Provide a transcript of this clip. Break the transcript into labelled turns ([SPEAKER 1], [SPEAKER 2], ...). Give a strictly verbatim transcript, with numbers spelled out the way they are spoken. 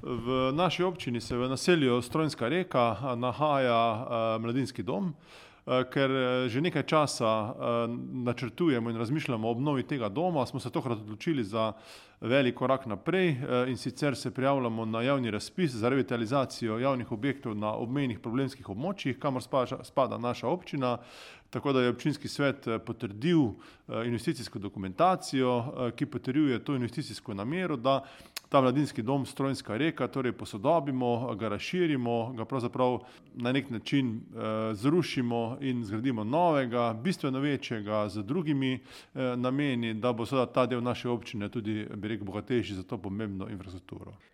[SPEAKER 1] V naši občini se v naselju Strojnska Reka nahaja mladinski dom. Ker že nekaj časa načrtujemo in razmišljamo o obnovi tega doma, smo se tokrat odločili za velik korak naprej, in sicer se prijavljamo na javni razpis za revitalizacijo javnih objektov na obmejnih problemskih območjih, kamor spada naša občina. Tako da je občinski svet potrdil investicijsko dokumentacijo, ki potrjuje to investicijsko namero, da ta mladinski dom Strojnska Reka torej posodobimo, ga razširimo, ga pravzaprav na nek način zrušimo in zgradimo novega, bistveno večjega, z drugimi nameni, da bo seveda ta del naše občine tudi, bi rekel, bogatejši za to pomembno infrastrukturo.